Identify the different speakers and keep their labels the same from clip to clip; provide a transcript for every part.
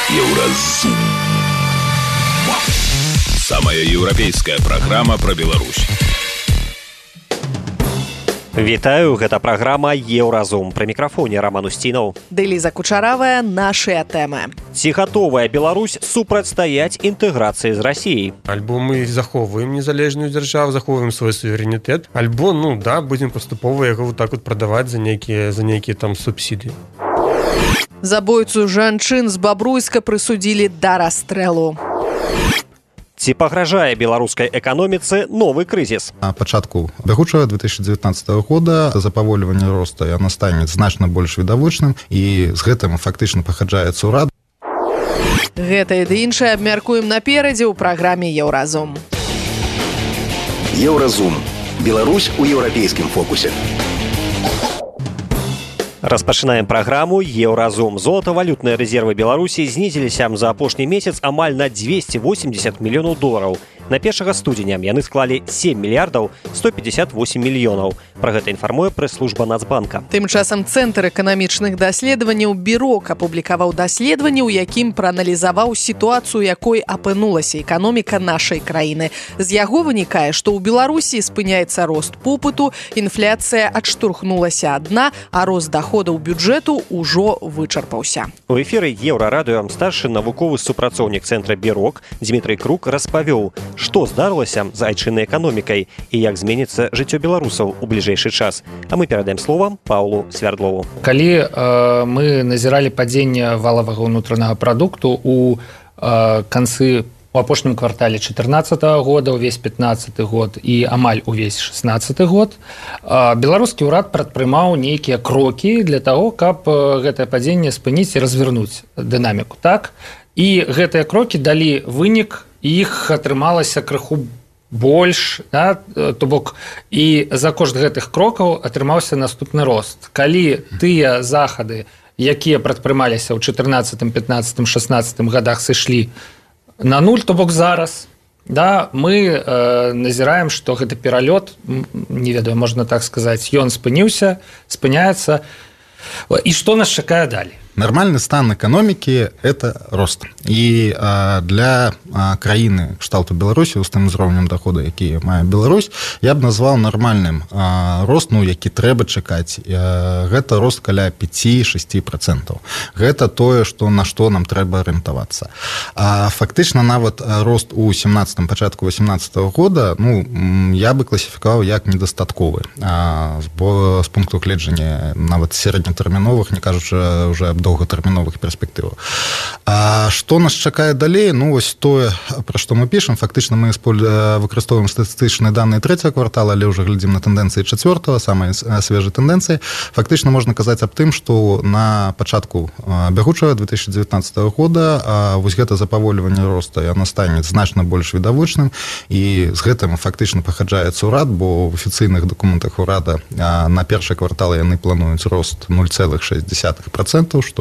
Speaker 1: Еўразум. Самая еўрапейская праграма пра Беларусь.
Speaker 2: Вітаю, гэта праграма «Еўразум». Пры мікрафоне Роман Устінаў.
Speaker 3: Дэліза Кучаравая, нашыя тэмы.
Speaker 2: Ці гатовая Беларусь супрацьстаяць інтэграцыі з Расіяй?
Speaker 4: Альбо мы захоўваем незалежную дзяржаву, захоўваем свой суверэнітэт, альбо, будзем паступова яго так прадаваць за нейкія там субсідыі.
Speaker 3: Забойцу жанчын з Бабруйска прысудзілі да расстрэлу.
Speaker 2: Ці пагражае беларускай эканоміцы новы крызіс?
Speaker 5: На пачатку бягучага 2019 года запавольванне росту яно стане значна больш відавочным, і з гэтым фактычна пагаджаецца ўрад.
Speaker 3: Гэта і іншае абмяркуем наперадзе ў праграме «Еўразум».
Speaker 1: Еўразум. Беларусь у еўрапейскім фокусе.
Speaker 2: Распачынаем праграму «Еўразум». Золатавалютныя рэзервы Беларусі знізіліся за апошні месяц амаль на 280 мільёнаў долараў. На 1 студзеня яны склалі 7 мільярдаў 158 мільёнаў. Пра гэта інфармуе прэс-служба Нацбанка.
Speaker 3: Тым часам Цэнтр эканамічных даследаванняў «Бірок» апублікаваў даследаванне, у якім прааналізаваў сітуацыю, якой апынулася эканоміка нашай краіны. З яго вынікае, што ў Беларусі спыняецца рост попыту, інфляцыя адштурхнулася ад дна, а рост доходаў бюджэту ўжо вычарпаўся.
Speaker 2: У эфіры «Еўрарадыё» старшы навуковы супрацоўнік Цэнтра «Бірок» Дмітрый Крук распавёў, што здарылася з айчыннай эканомікай і як зменіцца жыццё беларусаў у бліжэйшы час. А мы перадаем слова Паўлу Свярдлову.
Speaker 6: Калі мы назіралі падзенне валавага ўнутранага прадукту у канцы у апошнім квартале 2014 года, увесь 2015 год і амаль увесь 2016 год, беларускі ўрад прадпрымаў нейкія крокі для таго, каб гэтае падзенне спыніць і развернуць дынаміку. Так? І гэтыя крокі далі вынік, іх атрымалася крыху больш, да? То бок і за кошт гэтых крокаў атрымаўся наступны рост. Калі тыя захады, якія прадпрымаліся ў 14, 15, 16 гадах сышлі на нуль, то бок зараз, да, мы назіраем, што гэты пералёт, не ведаю, можна так сказаць, ён спыняецца. І што нас чакае далей?
Speaker 5: Нармальны стан эканомікі – это рост. І для краіны кшталту Беларусі, з тым узроўнем доходу, які мае Беларусь, я б назваў нармальным рост, які трэба чакаць. Гэта рост каля 5-6%. Гэта тое, на што нам трэба арыентавацца. Фактычна нават рост у 17-м, пачатку 18-го года, я бы класіфікаваў як недастатковы. З пункту гледжання нават сераднетэрміновых, не кажучы уже аб доўгатэрміновых перспектываў. А што нас чакае далей? Вось тое, пра што мы пішам, фактычна мы выкарыстоўваем статыстычныя даныя 3-го квартала, але ўжо глядзім на тэндэнцыі 4-го, самыя свежыя тэндэнцыі. Фактычна можна казаць аб тым, што на пачатку бягучага 2019 года вось гэта запавольванне росту яно стане значна больш відавочным, і з гэтым фактычна пагаджаецца ўрад, бо в афіцыйных дакументах урада на першы квартал яны плануюць рост 0,6%, што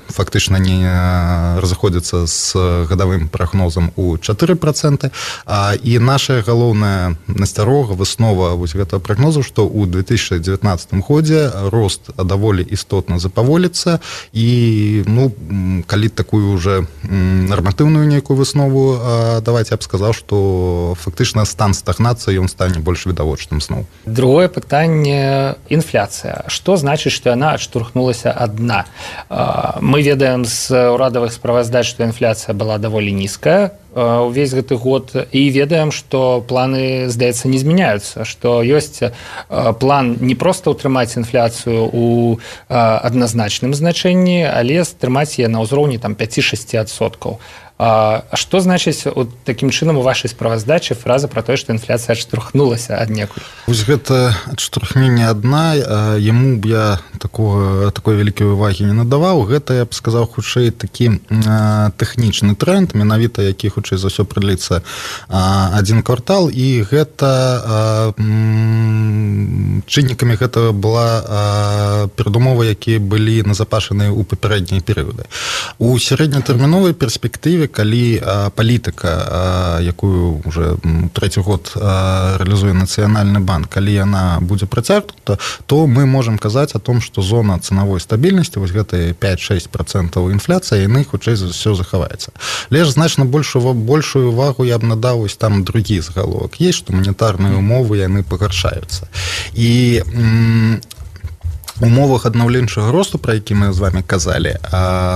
Speaker 5: фактычна не разыходзіцца з гадавым прагнозам у 4%. І наша галоўная насцярога, выснова вось гэтага прагнозу, што ў 2019 годзе рост даволі істотна запаволіцца, і калі такую уже нарматыўную нейкую выснову даваць, я б сказаў, што фактычна стан стагнацыі ён стане больш відавочным зноў.
Speaker 6: Другое пытанне – інфляцыя. Што значыць, што яна адштурхнулася ад дна? Мы ведаем з урадавых справаздач, што інфляцыя была даволі нізкая увесь гэты год, і ведаем, што планы, здаецца, не змяняюцца, што ёсць план не проста ўтрымаць інфляцыю ў адназначным значэнні, але стрымаць яе на ўзроўні 5-6%. Што значыць такім чынам у вашай справаздачы фраза пра тое, што інфляцыя адштурхнулася аднекуль?
Speaker 5: Вось гэта адштурхненне ад дна, яму б я такой вялікай увагі не надаваў. Гэта, я б сказаў, хутчэй такі тэхнічны тренд, менавіта які хутчэй за ўсё прадліцца адзін квартал, і гэта чыннікамі гэта была перадумовы, якія былі назапашаныя ў папярэднія перыяды. У сярэднетэрміновай перспектыве, калі палітыка, якую уже трэці год реализует Национальный банк, калі яна будзе працягнута, то мы можем казаць о том, что зона ценовой стабильности, вось гэтыя 5-6% инфляция, яны хутчэй за ўсё захаваецца. Лишь значна большую увагу я б надаў вось там другі загаловак. Есть, что монетарные умовы яны пагаршаюцца. І умовах аднаўленчага росту, пра які мы з вами казалі,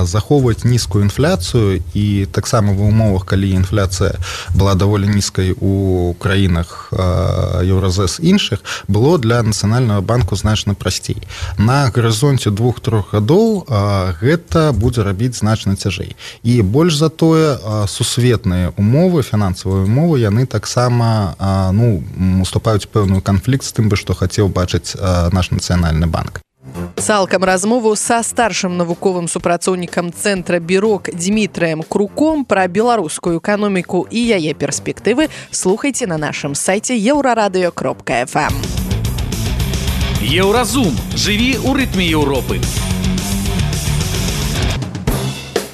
Speaker 5: захоўваць нізкую інфляцыю, і таксама в умовах, калі інфляцыя была даволі нізкай у краінах Еўразэс іншых, было для Нацыянальнага банку значна прасцей. На гарызонце 2-3 гадоў гэта будзе рабіць значна цяжэй. І больш за тое, сусветныя умовы, фінансавыя умовы, яны таксама уступаюць пэўную канфлікт з тым, што хацеў бачыць наш Нацыянальны банк.
Speaker 3: Цалкам размову са старшым навуковым супрацоўнікам цэнтра «Бірок» Дмітрыем Круком пра беларускую эканоміку і яе перспектывы слухайце на нашым сайце euraradio.fm.
Speaker 7: Еўразум. Жыві ў рытме Еўропы.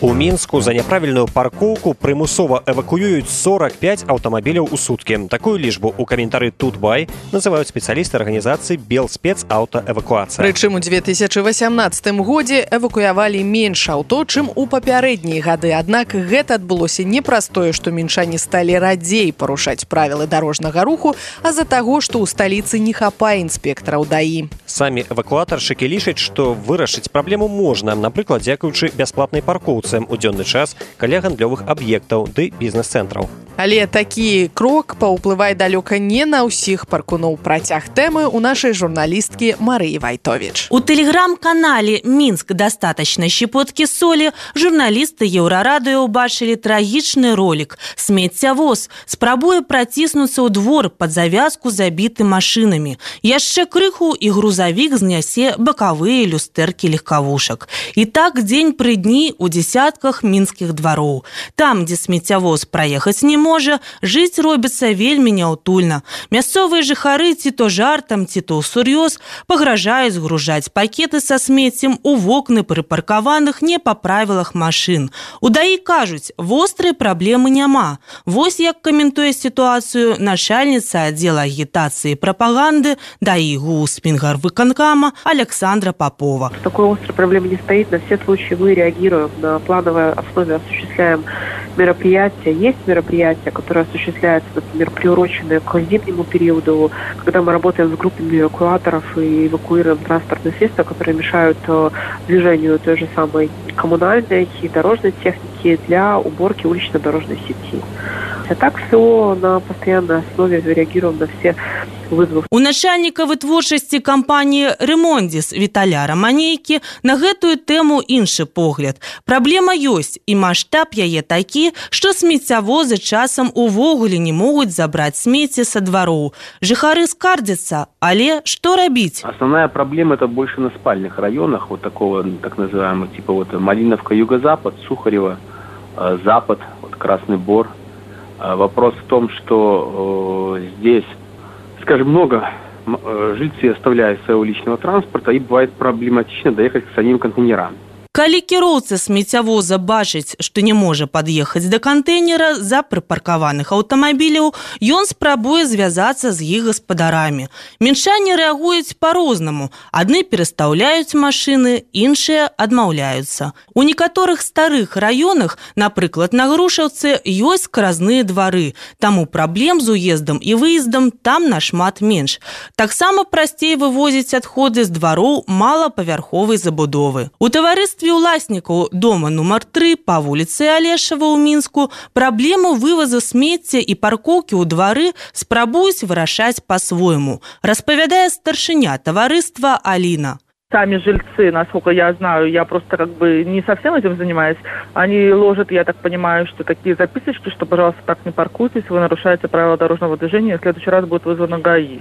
Speaker 2: У Мінску за няправільную паркоўку прымусова эвакуююць 45 аўтамабіляў у суткі. Такую лічбу ў каментары Тутбай называюць спецыялісты арганізацыі «Белспецаўтаэвакуацыя».
Speaker 3: Прычым у 2018 годзе эвакуявалі менш аўто, чым у папярэднія гады. Аднак гэта адбылося не праз тое, што мінчане сталі радзей парушаць правілы дарожнага руху, а з-за таго, што ў сталіцы не хапае інспектараў ДАІ.
Speaker 2: Самі эвакуатаршчыкі лічаць, што вырашыць праблему можна, напрыклад, дзякуючы бясплатнай паркоўцы у дзённы час каля гандлёвых аб'ектаў ды бізнес-цэнтраў.
Speaker 3: Але такі крок паўплывае далёка не на ўсіх паркуноў. Працяг тэмы у нашай журналісткі Марыі Вайтовіч.
Speaker 8: У тэлеграм-канале «Минск. Достаточно щепотки соли» журналісты Еўрарадыё ўбачылі трагічны ролик. Смеццявоз спрабуе праціснуцца ў двор пад завязку забіты машынамі. Яшчэ крыху і грузавік знясе бакавыя люстэркі легкавушак. І так дзень пры дні у дзесятках мінскіх двароў. Там, дзе смеццявоз праехаць не можа, жыць робіцца вельмі няўтульна. Мясцовыя жыхары ці то жартам, ці то ўсур'ёз пагражаюць згружаць пакеты са смеццем у вокны прыпаркаваных не па правілах машын. У ДАІ кажуць, вострай праблемы няма. Вось як каментуе сітуацыю начальніца аддзела агітацыі і прапаганды ДАІ ГУС Мингарвыканкама Александра Попова.
Speaker 9: Такой острой проблемы не стоит. На все случаи мы реагируем, на плановой основе осуществляем мероприятия. Есть мероприятия, которые осуществляются, например, приуроченные к зимнему периоду, когда мы работаем с группами эвакуаторов и эвакуируем транспортные средства, которые мешают движению той же самой коммунальной и дорожной техники для уборки улично-дорожной сети. А так все на постоянной основе реагируем на все вызовы.
Speaker 8: У начальніка вытворчасці кампаніі «Ремондис» Віталя Раманейкі на гэтую тэму іншы погляд. Праблема ёсць, і маштаб яе такі, што смеццявозы часам увогуле не могуць забраць смецце са двароў. Жыхары скардзяцца, але што рабіць?
Speaker 10: Основная проблема это больше на спальных районах, вот такого так называемого типа вот Малиновка, Юго-Запад, Сухарево, Запад, вот Красный Бор. Вопрос в том, что здесь, скажем, много жильцы оставляют своего личного транспорта, и бывает проблематично доехать к самим контейнерам.
Speaker 8: Калі кіроўца смеццявоза бачыць, што не можа пад'ехаць да кантэйнера з-за прыпаркаваных аўтамабіляў, ён спрабуе звязацца з іх гаспадарамі. Мінчане рэагуюць па-рознаму. Адны перастаўляюць машыны, іншыя адмаўляюцца. У некаторых старых раёнах, напрыклад, на Грушаўцы, ёсць скаразныя двары. Таму праблем з уездам і выездам там нашмат менш. Таксама прасцей вывозіць адходы з двароў малапавярховай забудовы. У таварыстве уласнікаў дома нумар 3 па вуліцы Алешава ў Мінску праблему вывазу смецця і паркоўкі ў двары спрабуюць вырашаць па-свойму, распавядае старшыня таварыства Алина.
Speaker 11: Сами жильцы, насколько я знаю, я просто как бы не совсем этим занимаюсь, они ложат, я так понимаю, что такие записочки, что, пожалуйста, так не паркуйтесь, вы нарушаете правила дорожного движения, в следующий раз будет вызвано ГАИ.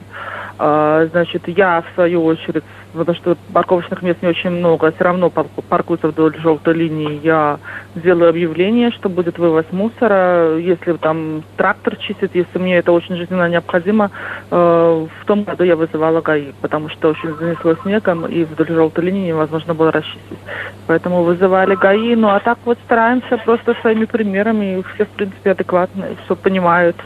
Speaker 11: Значит, я, в свою очередь, потому что парковочных мест не очень много, все равно паркуются вдоль желтой линии, я сделаю объявление, что будет вывоз мусора, если там трактор чистит, если мне это очень жизненно необходимо. В том году я вызывала ГАИ, потому что очень занесло снегом, и вдоль желтой линии невозможно было расчистить. Поэтому вызывали ГАИ, ну а так вот стараемся просто своими примерами, и все, в принципе, адекватно, все понимают.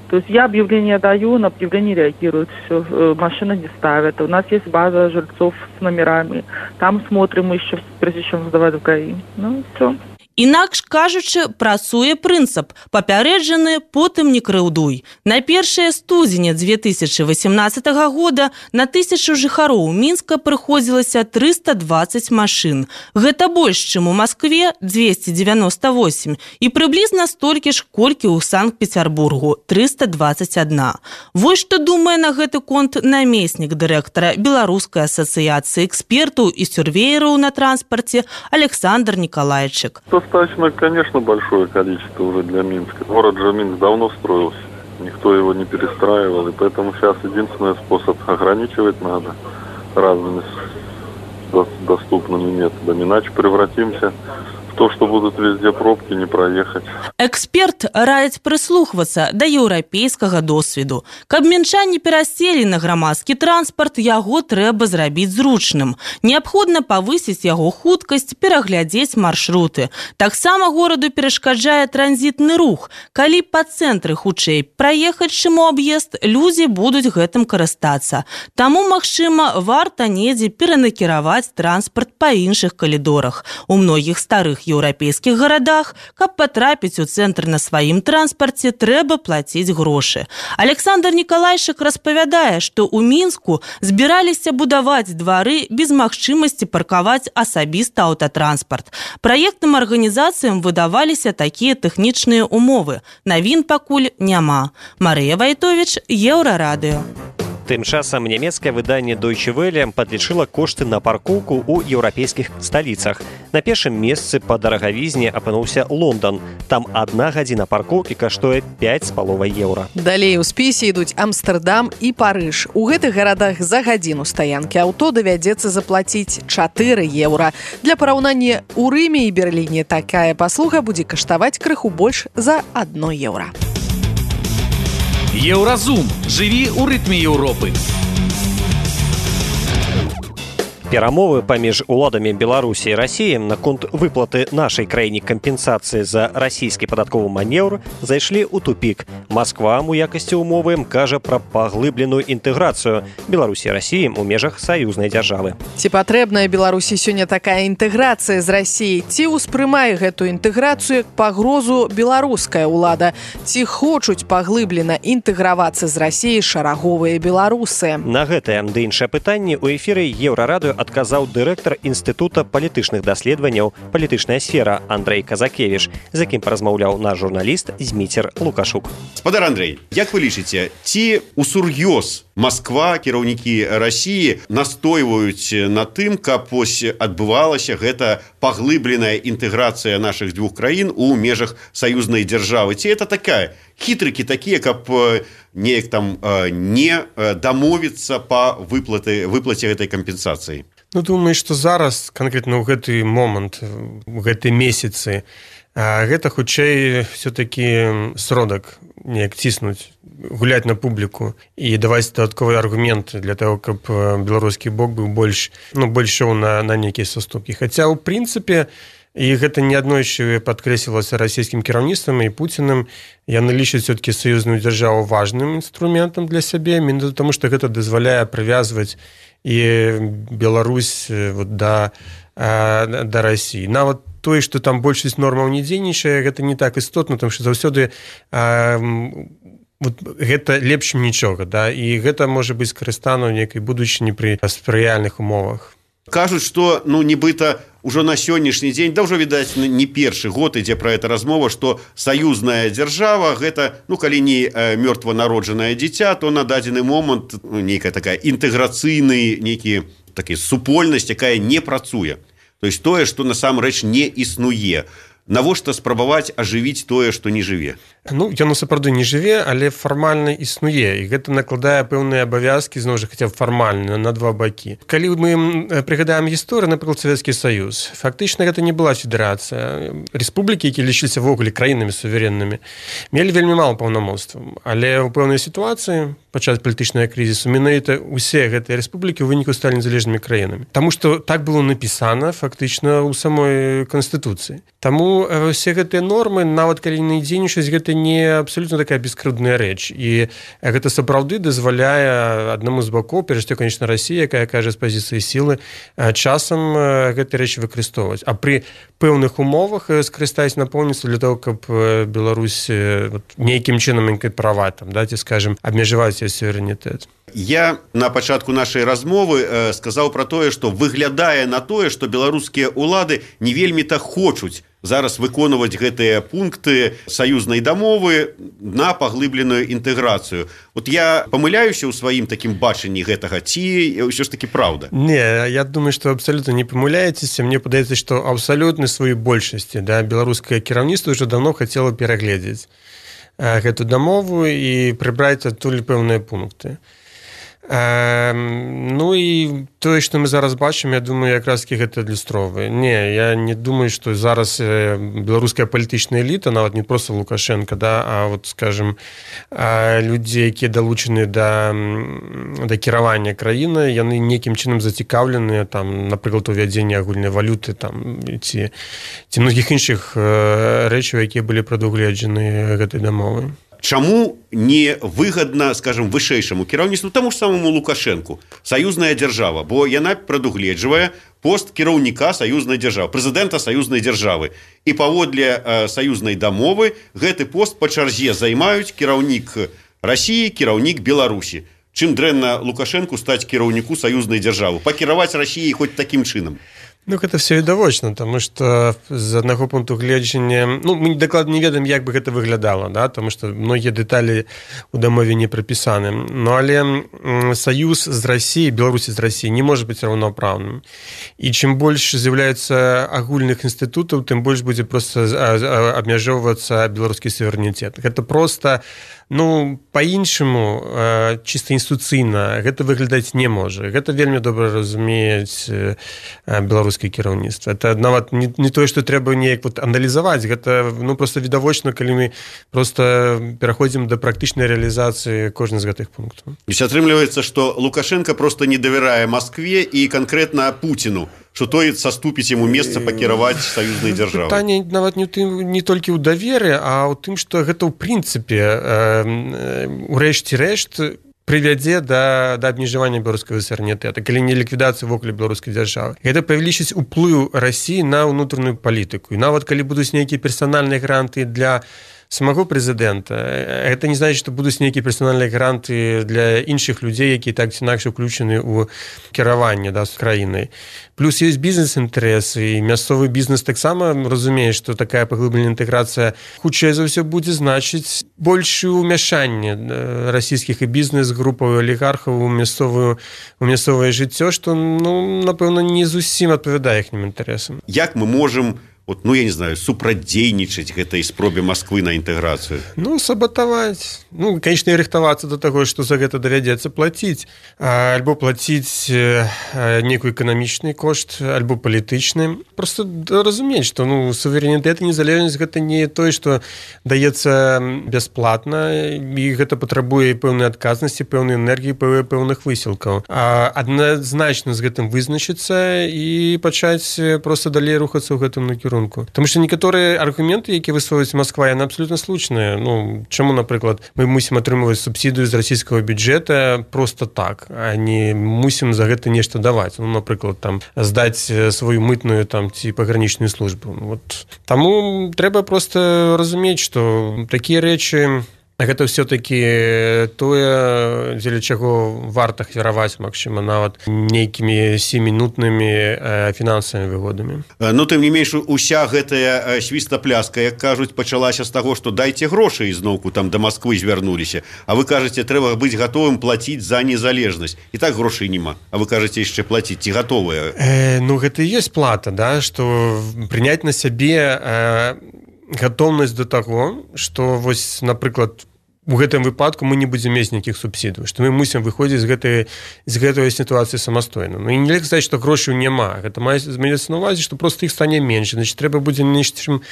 Speaker 11: То есть я объявление даю, на объявление реагируют, все, машины не ставят. У нас есть база жильцов с номерами, там смотрим еще, прежде чем сдавать в ГАИ. Ну, все.
Speaker 8: Інакш кажучы, працуе прынцып «папярэджаны, потым не крыўдуй». На 1 студзеня 2018 года на 1000 жыхароў Мінска прыходзілася 320 машын. Гэта больш, чым у Маскве 298 і прыблізна столькі ж, колькі ў Санкт-Петербургу 321. Вось што думае на гэты конт намеснік дырэктара Беларускай асацыяцыі экспертаў і сюрвеераў на транспарце Александр Николайчик.
Speaker 12: Достаточно, конечно, большое количество уже для Минска. Город же Минск давно строился, никто его не перестраивал, и поэтому сейчас единственный способ ограничивать надо разными доступными методами, иначе превратимся в то, что будут везде пробки, не проехать.
Speaker 8: Эксперт радзіць прыслухвацца да еўрапейскага досведу. Каб мінчане пераселі на грамадскі транспарт, яго трэба зрабіць зручным. Неабходна павысіць яго хуткасць, пераглядзець маршруты. Таксама гораду перашкаджае транзітны рух. Калі па цэнтры хутчэй праехаць, чым у аб'езд, людзі будуць гэтым карыстацца. Таму, магчыма, варта недзе перанакіраваць транспарт па іншых калідорах. У многіх старых еўрапейскіх гарадах, каб патрапіць у цэнтр на сваім транспарце, трэба плаціць грошы. Александр Николайчик распавядае, што ў Мінску збіраліся будаваць двары без магчымасці паркаваць асабіста аўтатранспарт. Праектным арганізацыям выдаваліся такія тэхнічныя умовы. Навін пакуль няма. Марыя Вайтовіч, Еўрарадыё.
Speaker 2: Тым часам нямецкае выданне Deutsche Welle падлічыла кошты на паркоўку ў еўрапейскіх сталіцах. На першым месцы па дарагавізне апынуўся Лондан. Там 1 гадзіна паркоўкі каштуе 5,5 еўра.
Speaker 3: Далей у спісе ідуць Амстэрдам і Парыж. У гэтых гарадах за гадзіну стаянкі аўто давядзецца заплаціць 4 еўра. Для параўнання, у Рыме і Берліне такая паслуга будзе каштаваць крыху больш за 1 еўра.
Speaker 7: Еўразум. Жыві ў рытме Еўропы.
Speaker 2: Перамовы паміж уладамі Беларусі і Расіі наконт выплаты нашай краіне кампенсацыі за расійскі падатковы манеўр зайшлі ў тупік. Масква у якасці умовы кажа пра паглыбленую інтэграцыю Беларусі і Расіі ў межах саюзнай дзяржавы.
Speaker 3: Ці патрэбная Беларусі сёння такая інтэграцыя з Расіяй? Ці ўспрымае гэтую інтэграцыю як пагрозу беларуская ўлада? Ці хочуць паглыблена інтэгравацца з Расіяй шараговыя беларусы?
Speaker 2: На гэтае ды іншае пытанне ў эфіры Еўрарадыё адказаў дырэктар Інстытута палітычных даследаванняў «Палітычная сфера» Андрэй Казакевіч, з якім паразмаўляў наш журналіст Зміцер Лукашук.
Speaker 13: Спадар Андрэй, як вы лічыце, ці усур'ёз Масква, кіраўнікі Расіі настойваюць на тым, каб адбывалася гэта паглыбленая інтэграцыя нашых двух краін у межах саюзнай дзяржавы? Ці это такая хітрыкі такія, каб неяк там не дамовіцца па выплаце гэтай кампенсацыі?
Speaker 4: Ну, думаю, што зараз, канкрэтна ў гэты момант, у гэты месяцы, гэта хутчэй все-таки сродак неяк ціснуць, гуляць на публіку і даваць дадатковыя аргументы для того, каб беларускі бок быў больш ішоў на нейкія саступкі. Хаця, ў прынцыпе, і гэта неаднойчы падкрэслівалася расійскім кіраўніцтвам і Пуціным, яны лічаць все-таки саюзную дзяржаву важным інструментам для сябе, менавіта таму, што гэта дазваляе прывязваць і Беларусь да Расіі. Нават тое, што там большасць нормаў не дзейнічае, гэта не так істотна, тому што заўсёды гэта лепш нічога, да? І гэта можа быць скарыстана ў нейкай будучыні пры спрыяльных умовах.
Speaker 13: Кажуць, што, нібыта, ужо на сённяшні дзень, да ўжо, відаць, не першы год ідзе пра гэта размова, што саюзная дзяржава, гэта, калі не мёртванароджанае дзіця, то на дадзены момант нейкая такая інтэграцыйная, нейкі такі супольнасць, якая не працуе. То есть тое, што насамрэч не існуе. навошта спрабаваць ажывіць тое, што не жыве?
Speaker 4: Ну, яно сапраўды не жыве, але фармальна існуе, і гэта накладае пэўныя абавязкі, зноў жа, хаця б фармальна, на два бакі. Калі мы прыгадаем гісторыю, напрыклад, Савецкі Саюз, фактычна гэта не была федэрацыя. Рэспублікі, якія лічыліся ввогуле краінамі суверэннымі, мелі вельмі мала паўнамоцтваў, але ў пэўнай сітуацыі падчас палітычнага крызісу менавіта ўсе гэтыя рэспублікі ў выніку сталі незалежнымі краінамі. Таму што так было напісана фактычна ў самой Канстытуцыі. Таму ўсе гэтыя нормы, нават калі не дзейнічаюць, гэта не абсолютно такая бескрыўдная рэч. І гэта сапраўды дазваляе аднаму з бакоў, перш за ўсё, конечно, Расія, якая кажа з пазіцыі сілы, часам гэтыя рэчы выкарыстоўваць. А пры пэўных умовах скарыстаць напоўніцтва для того, каб Беларусь нейкім чынам інкарпараваць, ці, скажем, абмежаваць яе суверэнітэт.
Speaker 13: Я на пачатку нашай размовы сказаў пра тое, што выглядае на тое, што беларускія ўлады не вельмі-то хочуць зараз выконваць гэтыя пункты саюзнай дамовы на паглыбленую інтэграцыю. Вот я памыляюся ў сваім такім бачанні гэтага, ці ўсё ж такі праўда?
Speaker 4: Не, я думаю, што абсалютна не памыляецеся. Мне падаецца, што абсалютна сваёй большасці беларускае кіраўніцтва ўжо даўно хацела перагледзець гэту дамову і прыбраць адтуль пэўныя пункты. Ну і тое, што мы зараз бачым, я думаю, якраз-таки гэта адлюстроўвае. Не, я не думаю, што зараз беларуская палітычная эліта, нават не проста Лукашенко, а вот, скажем, людзі, якія далучаны да кіравання краіны, яны нейкім чынам зацікаўленыя, напрыклад, увядзенне агульнай валюты ці многіх іншых рэчаў, якія былі прадугледжаны гэтай дамовай.
Speaker 13: Чаму не выгадна, скажем, вышэйшаму кіраўніцтву, таму ж самому Лукашенку, саюзная дзяржава, бо яна прадугледжвае пост кіраўніка саюзнай дзяржавы, прэзідэнта саюзнай дзяржавы. І паводле саюзнай дамовы гэты пост па чарзе займаюць кіраўнік Расіі, кіраўнік Беларусі. Чым дрэнна Лукашенку стаць кіраўніку саюзнай дзяржавы? Пакіраваць Расіяй хоць такім чынам?
Speaker 4: Ну, гэта все відавочна, тому што з аднаго пункту гледжання, мы дакладна не ведаем, як бы гэта выглядала, тому што многія дэталі ў дамове не прапісаны. Але саюз з Расіяй, Беларусі з Расіяй не можа быць раўнапраўным. І чым больш з'яўляецца агульных інстытутаў, тым больш будзе проста абмяжоўвацца беларускі суверэнітэт. Гэта проста па-іншаму, чыста інстытуцыйна, гэта выглядаць не можа. Гэта вельмі добра разумеюць беларускае кіраўніцтва. Это нават не тое, што трэба неяк аналізаваць, гэта проста відавочна, калі мы проста пераходзім да практычнай рэалізацыі кожнага з гэтых пунктаў.
Speaker 13: То есть атрымліваецца, што Лукашенко проста не давярае Маскве і канкрэтна Пуціну, што той саступіць яму месца пакіраваць саюзнай дзяржавай.
Speaker 4: Пытанне нават не толькі ў даверы, а ў тым, што гэта ў прынцыпе урэшце рэшт прывядзе да абмежавання беларускага суверэнітэта, калі не ліквідацыі вокруг беларускай дзяржавы. Гэта павялічыць уплыў Расіі на ўнутраную палітыку. І нават калі будуць нейкія персанальныя гранты для самого прэзідэнта, гэта не значыць, што будуць нейкія персанальныя гранты для іншых людзей, якія так ці інакш уключаны ў кіраванне з краінай. Плюс ёсць бізнес-інтарэс, і мясцовы бізнес таксама разумее, што такая паглыбленая інтэграцыя хутчэй за ўсё будзе значыць большее ўмяшанне расійскіх і бізнес-групаў, олігархаў у мясцовае жыццё, што, напэўна, не зусім адпавядае іхнім інтарэсам.
Speaker 13: Як мы можам я не знаю, супрадзейнічаць гэтай спробе Масквы на інтэграцыю?
Speaker 4: Сабатаваць. Канечна, і рыхтавацца да таго, што за гэта давядзецца плаціць. Альбо плаціць нейкі эканамічны кошт, альбо палітычны. Просто разумець, што суверэнітэт і незалежнасць гэта не тое, што даецца бясплатна, і гэта патрабуе пэўнай адказнасці, пэўнай энергіі, пэўных высілкаў. Адназначна з гэтым вызначыцца і пачаць проста далей рухацца ў гэтым накірунку. Тому што некаторыя аргументы, якія высовваюць Масква, яны абсолютно слушныя. Чаму, напрыклад, мы мусім атрымліваць субсідыю з расійскага бюджэта проста так, а не мусім за гэта нешта даваць. Напрыклад, здаць сваю мытную ці пагранічную службу. Таму трэба проста разумець, што такія рэчы гэта все-таки тое, дзеля чаго варта кіраваць, магчыма, нават нейкімі 7-мінутнымі фінансавымі выгодамі.
Speaker 13: Ну, тым не менш, уся гэтая свістапляска, як кажуць, пачалася з таго, што дайце грошы, і зноўку там да Масквы звярнуліся, а вы кажаце, трэба быць гатовым плаціць за незалежнасць. І так грошай няма, а вы кажаце яшчэ плаціць, ці гатовыя?
Speaker 4: Ну, гэта і ёсць плата, да, што прыняць на сябе гатоўнасць да таго, што вось, напрыклад, у гэтым выпадку мы не будзем мець нейкіх субсідый, што мы мусім выходзіць з гэтай сітуацыі самастойна. Ну, і нельга сказаць, што грошаў няма. Гэта маецца на ўвазе, што проста іх стане менш. Значит, трэба будзе нечым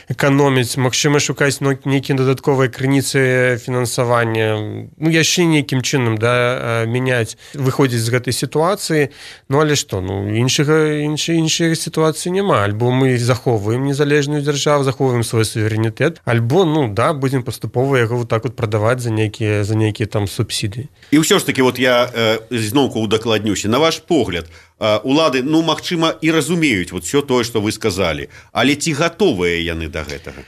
Speaker 4: эканоміць, магчыма, шукаць нейкія дадатковыя крыніцы фінансавання, ну, яшчэ нейкім чынам, да, мяняць, выходзіць з гэтай сітуацыі. Ну, але што? Ну, іншай сітуацыі няма. Альбо мы захоўваем незалежную дзяржаву, захоўваем свой суверэнітэт, альбо, ну, да, будзем паступова яго вот так вот прадаваць за нейкія там субсідыі.
Speaker 13: І ўсё ж таки, вот я зноўку удакладнюся, на ваш погляд, улады, ну, магчыма, і разумеюць вот все тое, што вы сказалі, але ці гатовыя яны да гэтага?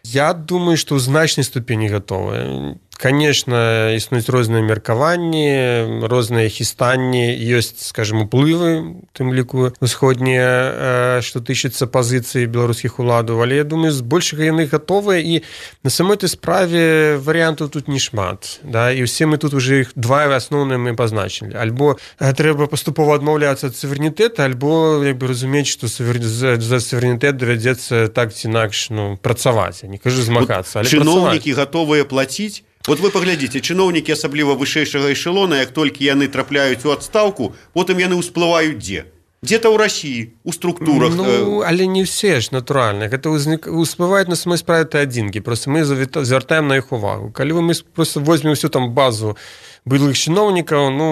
Speaker 4: Я думаю, што ў значнай ступені гатовыя. Конечно, існуюць розныя меркаванні, розныя хістанні, ёсць, скажем, уплывы, тым ліку усходнія, што тычыцца пазіцыі беларускіх уладаў, але я думаю, збольшага яны гатовыя, і на самой той справе варыянтаў тут не шмат, да, і ўсе мы тут уже іх два асноўныя мы пазначылі. Альбо трэба паступова адмаўляцца ад суверэнітэта, альбо, як бы, разумець, што за суверэнітэт давядзецца так ці інакш, ну, працаваць, я не кажу змагацца, але
Speaker 13: чыноўнікі гатовыя плаціць. Вот вы паглядзіце, чыноўнікі, асабліва вышэйшага эшелона, як толькі яны трапляюць у адстаўку, потым яны ўсплываюць дзе? Дзе-то ў Расіі, у структурах.
Speaker 4: Ну, але не все ж, натуральна. Гэта ўсплываюць на самой справе адзінкі. Просто мы звяртаем на іх увагу. Калі мы просто возьмем всю там базу былых чыноўнікаў, ну,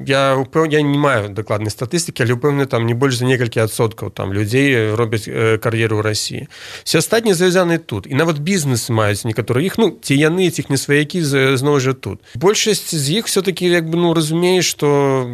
Speaker 4: я не маю дакладнай статыстыкі, але ўпэўнены, там не больш за некалькі адсоткаў там людзей робяць кар'еру ў Расіі. Все астатнія завязаны тут. І нават бізнес маюць некаторыя іх, ну, ці яны, ці іх не сваякі, зноў жа тут. Большасць з іх все-таки, як бы, ну, разумее, што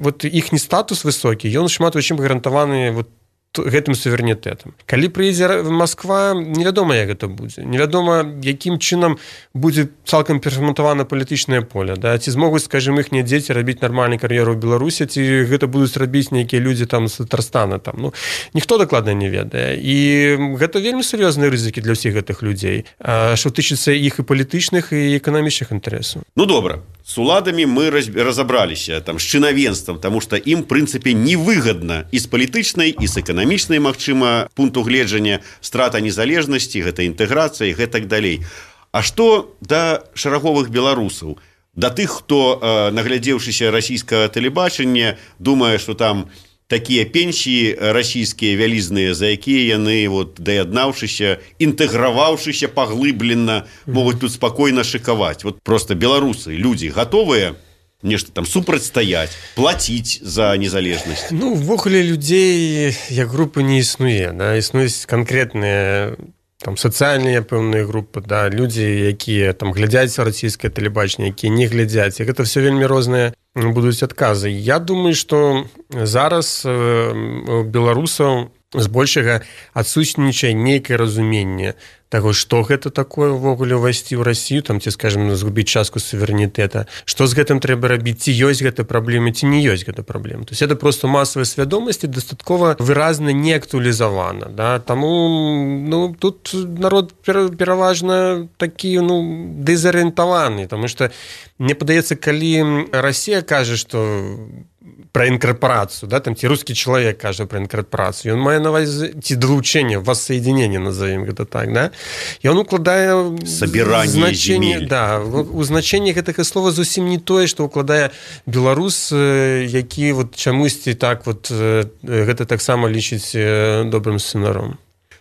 Speaker 4: вот іхні статус высокі, ён шмат у чым гарантаваны вот гэтым суверэнітэтам. Калі прыедзе Масква, невядома, як гэта будзе. Невядома, якім чынам будзе цалкам перфарматавана палітычнае поле. Да? Ці змогуць, скажем, іхнія дзеці рабіць нармальную кар'еру ў Беларусі, ці гэта будуць рабіць нейкія людзі там з Татарстана. Там. Ну, ніхто дакладна не ведае. І гэта вельмі сур'ёзныя рызыкі для ўсіх гэтых людзей, што тычыцца іх і палітычных, і эканамічных інтарэсаў.
Speaker 13: Ну, добра. С уладамі мы разабраліся, там, з чынавенствам, таму што ім, в прынцыпе, невыгадна і з палітычнай, і з эканамічнай, магчыма, пункту гледжання, страта незалежнасці, гэта інтэграцыя і гэтак далей. А што да шараговых беларусаў, да тых, хто, наглядзеўшыся расійскага тэлебачання, думае, што там такія пенсіі расійскія вялізныя, за якія яны, вот, даяднаўшыся, інтэграваўшыся паглыблена, могуць тут спакойна шыкаваць. Вот просто беларусы, людзі гатовыя нешта там супрацьстаяць, плаціць за незалежнасць?
Speaker 4: Ну, увогуле людзей як групы не існуе, да? Існуюць канкрэтныя там сацыяльныя пэўныя групы, да, людзі, якія там глядзяць расійскае тэлебачанне, якія не глядзяць. І гэта все вельмі розныя будуць адказы. Я думаю, што зараз у беларусаў збольшага адсутнічае нейкае разуменне таго, што гэта такое ўвогуле ўвайсці ў Расію, там, ці, скажем, згубіць частку суверэнітэта, што з гэтым трэба рабіць, ці ёсць гэта праблема, ці не ёсць гэта праблема. То есть это просто масавая свядомасць і дастаткова выразна не актуалізавана. Да? Таму, ну, тут народ пераважна такі, ну, дэзарыентаваны, таму што мне падаецца, калі Расія кажа, што про інкарпорацыю, да, там ці рускі чалавек кажа про інкарпорацыю, ён мае на ўвазе ці далучэнне, воссоединение, назовем гэта так, да, і он укладае
Speaker 13: сабіранне земель.
Speaker 4: Да, у значэнні гэтага слова зусім не тое, што укладае беларус, які вот чамусьці так вот гэта таксама лічыць добрым сцэнаром.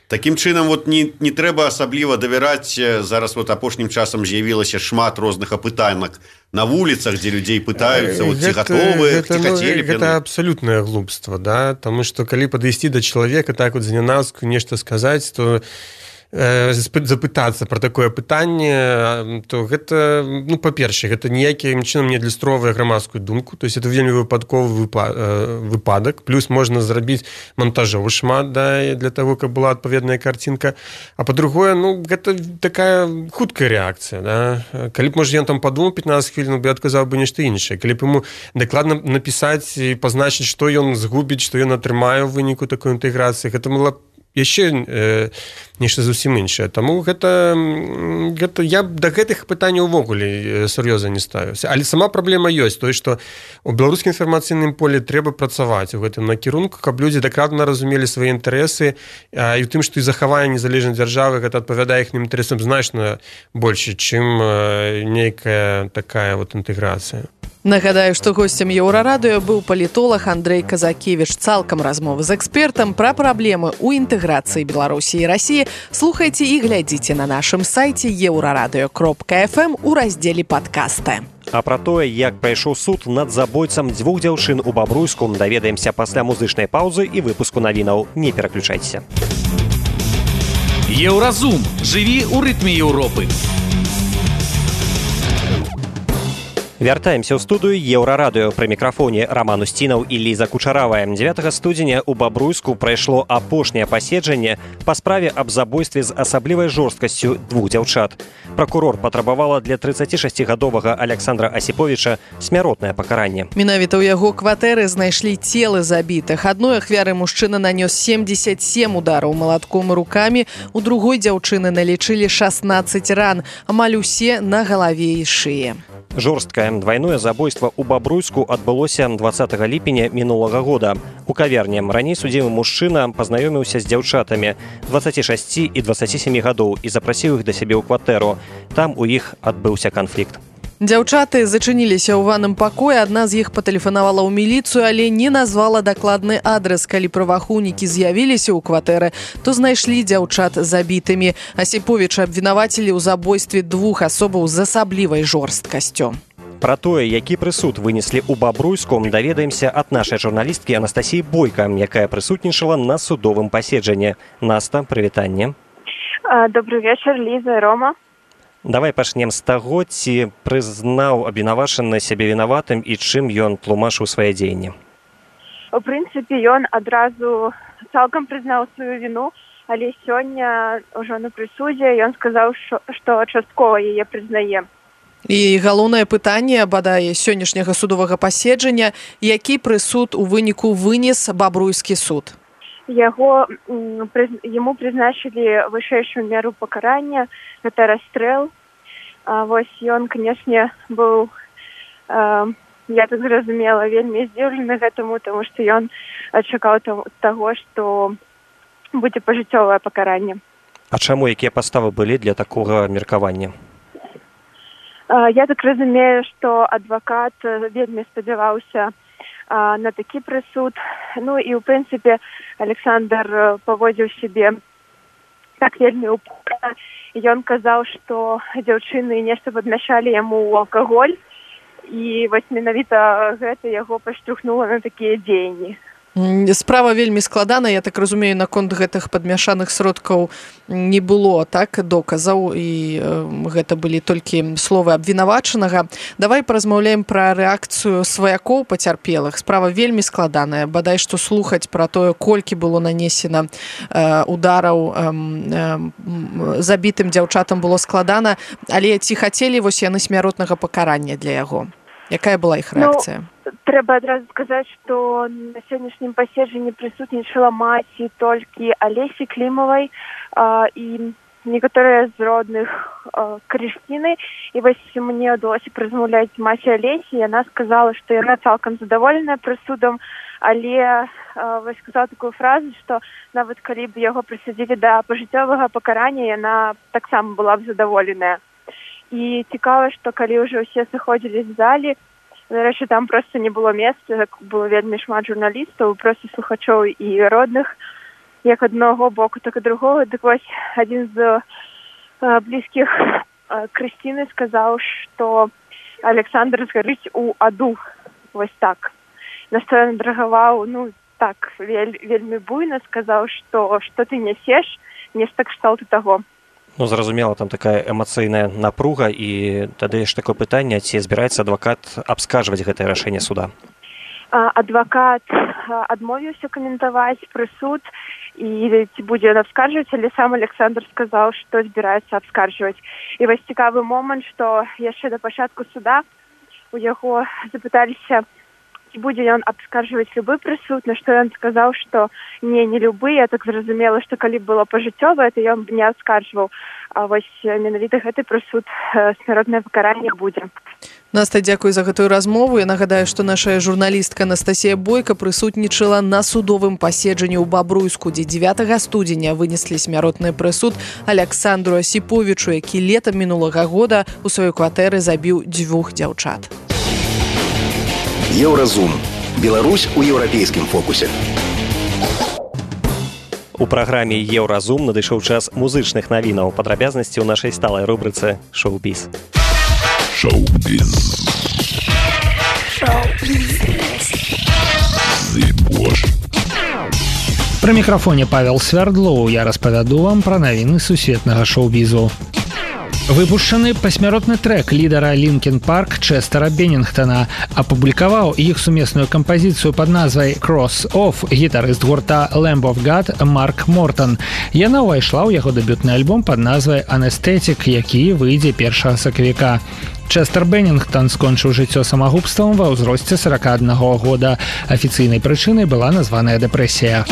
Speaker 13: Такім чынам, вот не трэба асабліва давяраць. Зараз вот апошнім часам з'явілася шмат розных апытанак на вуліцах, дзе людзей пытаюцца, вот, ці гатовы, ці хацелі б яны.
Speaker 4: Гэта абсалютнае глупства, да? Таму што калі падысці да чалавека, так вот знянацку нешта сказаць, то запытацца пра такое пытанне, то гэта, ну, па-першае, гэта ніякім чынам не адлюстроўвае грамадскую думку, то есть это вельмі выпадковы выпадак, плюс можна зрабіць монтажоў шмат, да, для того, каб была адпаведная картинка. А па-другое, ну, гэта такая хуткая рэакцыя, да. Калі б, можа, ён там падумаў 15 хвілін, бы адказаў бы нешта іншае. Калі б ему дакладна напісаць і пазначыць, што ён згубіць, што ён атрымае ў выніку такой інтэграцыі, гэта было яшчэ нешта зусім іншае. Таму гэта я да гэтых пытанняў увогуле сур'ёзна не ставіўся. Але сама праблема ёсць, тое, што у беларускім інфармацыйным полі трэба працаваць у гэтым накірунку, каб людзі дакладна разумелі свае інтарэсы, і ў тым, што і захаванне незалежнай дзяржавы гэта адпавядае іхнім інтарэсам значна больш, чым нейкая такая вот інтэграцыя.
Speaker 3: Нагадаю, што госцем Еўрарадыё быў палітолаг Андрэй Казакевіч. Цалкам размовы з экспертам пра праблемы ў інтэграцыі Беларусі і Расіі слухайце і глядзіце на нашым сайце euradio.fm у раздзеле падкасты.
Speaker 2: А пра тое, як прайшоў суд над забойцам 2 дзяўчын у Бабруйску, даведаемся пасля музычнай паўзы і выпуску навінаў. Не пераключайцеся.
Speaker 7: Еўразум. Жыві ў рытме Еўропы.
Speaker 2: Вяртаемся ў студыю Еўрарадыё. Пры мікрафоне Роман Устінаў і Ліза Кучаравая. 9 студзеня ў Бабруйску прайшло апошняе паседжанне па справе аб забойстве з асаблівай жорсткасцю 2 дзяўчат. Пракурор патрабавала для 36гадовага Александра Асіповіча смяротнае пакаранне.
Speaker 3: Менавіта ў яго кватэры знайшлі целы забітых. Адной ахвяры мужчына нанёс 77 удараў малатком і рукамі, у другой дзяўчыны налічылі 16 ран, амаль усе на галаве і шыі.
Speaker 2: Жорсткае двойное забойство ў Бабруйску адбылося 20 ліпеня мінулага года. У кавярні раней судзімы мужчына пазнаёміўся з дзяўчатамі 26 і 27 гадоў і запрасіў іх да сябе ў кватэру. Там у іх адбыўся канфлікт.
Speaker 3: Дзяўчаты зачыніліся ў ванным пакоі, адна з іх патэлефанавала ў міліцыю, але не назвала дакладны адрес. Калі праваахоўнікі з'явіліся ў кватэры, то знайшлі дзяўчат забітымі. Асіповіча абвінавацілі ў забойстве 2 асобаў з асаблівай жорсткасцю.
Speaker 2: Пра тое, які прысуд вынеслі ў Бабруйску, даведаемся ад нашай журналісткі Анастасіі Бойка, якая прысутнічала на судовым паседжанні. Наста, прывітанне.
Speaker 14: Добрый вечар, Ліза і Рома.
Speaker 2: Давай пачнем з таго, ці прызнаў абвінавачаны сябе вінаватым і чым ён тлумачыў свае дзеянні.
Speaker 14: У прынцыпе, ён адразу цалкам прызнаў сваю віну, але сёння ўжо на прысудзе ён сказаў, што часткова яе прызнае.
Speaker 3: І галоўнае пытанне, бадай, сённяшняга судовага паседжання, які прысуд у выніку вынес Бабруйскі суд?
Speaker 14: Яму прызначылі вышэйшую меру пакарання, гэта расстрэл. Вось ён, канешне, быў, я так зразумела, вельмі здзіўлены гэтаму, таму што ён чакаў таго, што будзе пажыццёвае пакаранне.
Speaker 2: А чаму, якія падставы былі для такога меркавання?
Speaker 14: Я так разумею, што адвакат вельмі спадзяваўся на такі прысуд. Ну і, ў прынцыпе, Александр паводзіў сябе так вельмі упорна. Ён казаў, што дзяўчыны нешта падмяшалі яму ў алкаголь, і вось менавіта гэта яго паштурхнула на такія дзеянні.
Speaker 3: Справа вельмі складана, я так разумею, наконт гэтых падмяшаных сродкаў не было, так, доказаў, і гэта былі толькі словы абвінавачанага. Давай паразмаўляем пра рэакцыю сваякоў пацярпелых. Справа вельмі складаная, бадай што слухаць пра тое, колькі было нанесена удараў забітым дзяўчатам было складана, але ці хацелі вось яны смяротнага пакарання для яго? Якая была іх рэакцыя?
Speaker 14: Трэба адразу сказаць, што на сённяшнім паседжанні прысутнічала маці толькі Алесі Клімавай і некаторыя з родных Крысціны. І вось мне ўдалося празмаўляць маці Алесі, яна сказала, што яна цалкам задаволеная прысудам, але вось сказала такую фразу, што нават калі б яго прысудзілі да пажыццёвага пакарання, яна таксама была б задаволеная. І цікава, што калі ўжо ўсе сыходзілі з залі, нарэшце, там проста не было месца, было вельмі шмат журналістаў, проста слухачоў і родных, як аднаго боку, так і другого. Дык вось адзін з блізкіх Крысціны сказаў, што Александр згарыць у аду, вось так. На што ён драгаваў, ну так, вельмі буйна сказаў, што ты нясеш, нешта кшталту таго.
Speaker 2: Ну, зразумела, там такая эмацыйная напруга, і тады ж такое пытанне, ці збіраецца адвакат абскарджваць гэтае рашэнне суда?
Speaker 14: Адвакат адмовіўся каментаваць прысуд, і ці будзе ён абскарджваць, але сам Александр сказаў, што збіраецца абскарджваць. І вось цікавы момант, што яшчэ да пачатку суда у яго запыталіся, ці будзе ён абскарджваць любы прысуд, на што ён сказаў, што не любы. Я так зразумела, што калі было пажыццёвае, то ён не абскарджваў. А вось менавіта гэты прысуд смяротнае пакаранне будзе.
Speaker 3: Наста, дзякуй за гэтую размову. Я нагадаю, што наша журналістка Анастасія Бойка прысутнічала на судовым паседжанні ў Бабруйску, дзе 9 студзеня вынеслі смяротны прысуд Александру Асіповічу, які летам мінулага года у сваёй кватэры забіў 2 дзяўчат.
Speaker 1: Еўразум. Беларусь у еўрапейскім фокусе.
Speaker 2: У праграме «Еўразум» надышоў час музычных навінаў. Падрабязнасці ў нашай сталай рубрыцы «Шоу-біз».
Speaker 1: Шоу-біз.
Speaker 6: Пры мікрафоне Павел Свярдлоў. Я распавяду вам пра навіны сусветнага шоу-бізу. Выпушчаны пасмяротны трэк лідара Лінкін Парк Чэстара Беннінгтона. Апублікаваў іх сумесную кампазіцыю пад назвай «Cross Off» гітарыст гурта Lamb of God Марк Мортон. Яна ўвайшла ў яго дэбютны альбом пад назвай «Anesthetic», які выйдзе 1 сакавіка. Чэстар Беннінгтон скончыў жыццё самагубствам ва ўзросце 41 года. Афіцыйнай прычынай была названая дэпрэсія.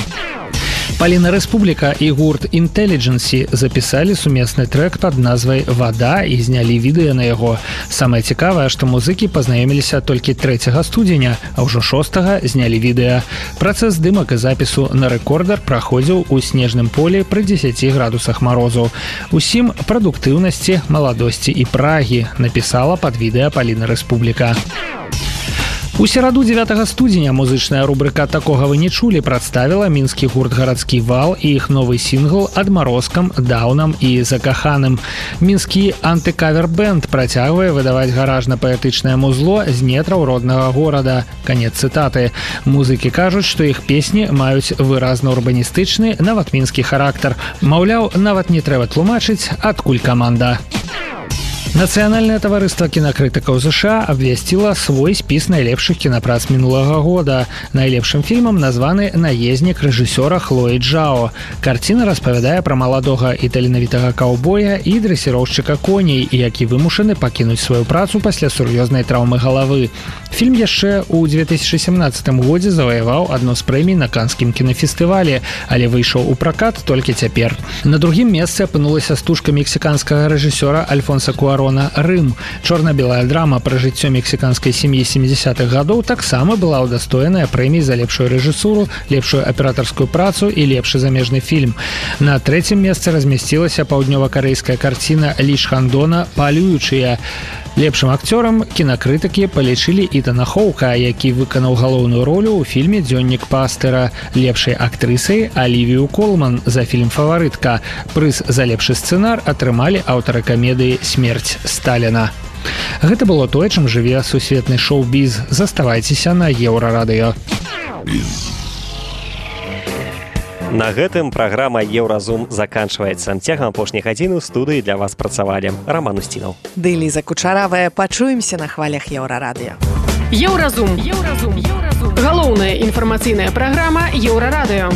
Speaker 6: Паліна Рэспубліка і гурт Intelligency запісалі сумесны трэк пад назвай «Вада» і знялі відэа на яго. Самае цікавае, што музыкі пазнаёміліся толькі 3 студзеня, а ўжо 6 знялі відэа. Працэс здымак і запісу на рэкордар праходзіў у снежным полі пры 10 градусах марозу. Усім прадуктыўнасці, маладосці і прагі напісала пад відэа Паліна Рэспубліка. У сераду 9 студзеня музычная рубрыка «Такога вы не чулі» прадставіла мінскі гурт «Гарадскі вал» і іх новы сінгл «Адмарозкам, даўнам і закаханым». Мінскі антыкавер-бэнд працягвае выдаваць гаражна-паэтычнае музло з нетраў роднага горада. Канец цытаты. Музыкі кажуць, што іх песні маюць выразна урбаністычны, нават мінскі характар. Маўляў, нават не трэба тлумачыць, адкуль каманда. Нацыянальнае таварыства кінакрытыкаў США абвясціла свой спіс найлепшых кінапрац мінулага года. Найлепшым фільмам названы «Наезнік» рэжысёра Хлоі Джао. Карціна распавядае пра маладога і таленавітага каўбоя і дрэсіроўшчыка коней, які вымушаны пакінуць сваю працу пасля сур'ёзнай траўмы галавы. Фільм яшчэ ў 2017 годзе заваяваў адну з прэмій на канскім кінафестывалі, але выйшаў у пракат толькі цяпер. На другім месцы апынулася стужка мексіканскага рэжысёра Альфонса Куарона «Рым». Чорна-белая драма пра жыццё мексіканскай сям'і 70-х гадоў таксама была ўдастоеная прэмій за лепшую рэжысуру, лепшую аператарскую працу і лепшы замежны фільм. На трэцім месцы размясцілася паўднёва-карэйская карціна Лі Шхандона «Палюючыя». Лепшым акцёрам кінакрытыкі палічылі Ітана Хоука, які выканаў галоўную ролю ў фільме «Дзённік пастыра». Лепшай актрысай Алівію Колман за фільм «Фаварытка». Прыз за лепшы сцэнар атрымалі аўтары камедыі «Смерць Сталіна». Гэта было тое, чым жыве сусветны шоу-біз. Заставайцеся на Еўрарадыё.
Speaker 2: На гэтым праграма «Еўразум» заканчваецца. Цягам апошняй гадзіны ў студыі для вас працавалі Роман Устінаў.
Speaker 3: Ды Ліза Кучаравая. Пачуемся на хвалях Еўрарадыё.
Speaker 15: Еўразум. Галоўная інфармацыйная праграма Еўрарадыё.